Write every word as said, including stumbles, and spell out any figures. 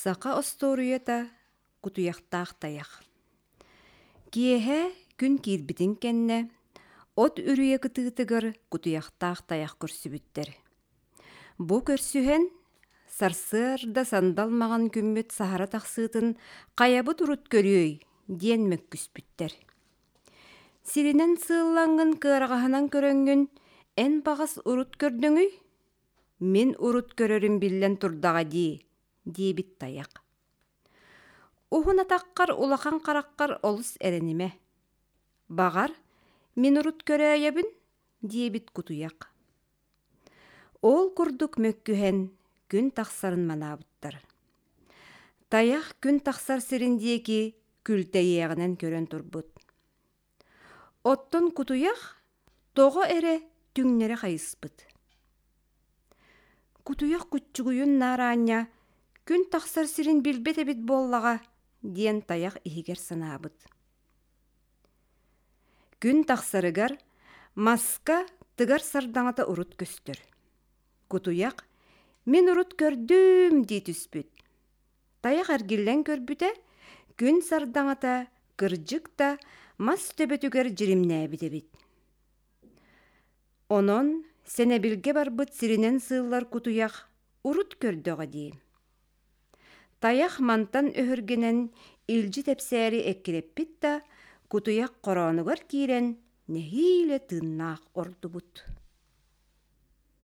Саха остуоруйата Кутуйахтаах тайах. Киэһэ күн киирбитин кэннэ от үрүйэ кытыытыгар кутуйахтаах тайах көрсүбүттэр. Бу көрсүһэн сарсыарда сандал маҥан күммүт саһара тахсыытын хайабыт урут көрүөй диэн мөккүспүттэр. Сиринэн сыыллаҥҥын кыараҕаһынан көрөҥҥүн эн баҕас урут көрдөҥүй? Мин урут көрөрүм биллэн турдаҕа дии, диэбит тайах. Уһун атаххар улахан хараххар олус эрэнимэ. Баҕар, мин урут көрөөйөбүн, диэбит кутуйах. Ол курдук мөккүһэн күн тахсарын манаабыттар. Тайах күн тахсар сирин диэки күлтэйиэҕинэн көрөн турбут. Оттон кутуйах тоҕо эрэ түҥнэри хайыспыт. Кутуйах куччугуйун наараанньа күн тахсар сирин билбэт эбит буоллаҕа диэн тайах иһигэр санаабыт. Күн тахсарыгар маска тыгар сардаҥата урут көстөр. Кутуйах «Мин урут көрдүм» дии түспүт. Тайах эргиллэн көрбүтэ, күн сардаҥата кырдьык да мас төбөтүгэр дьиримнээбит эбит. Онон сэнэбилгэ барбыт сиринэн сыыллар кутуйах урут көрдөҕө дии. Тайах мантан өһүргэнэн илдьи тэпсээри эккирэппит да, кутуйах хороонугар киирэн нэһиилэ тыыннаах ордубут.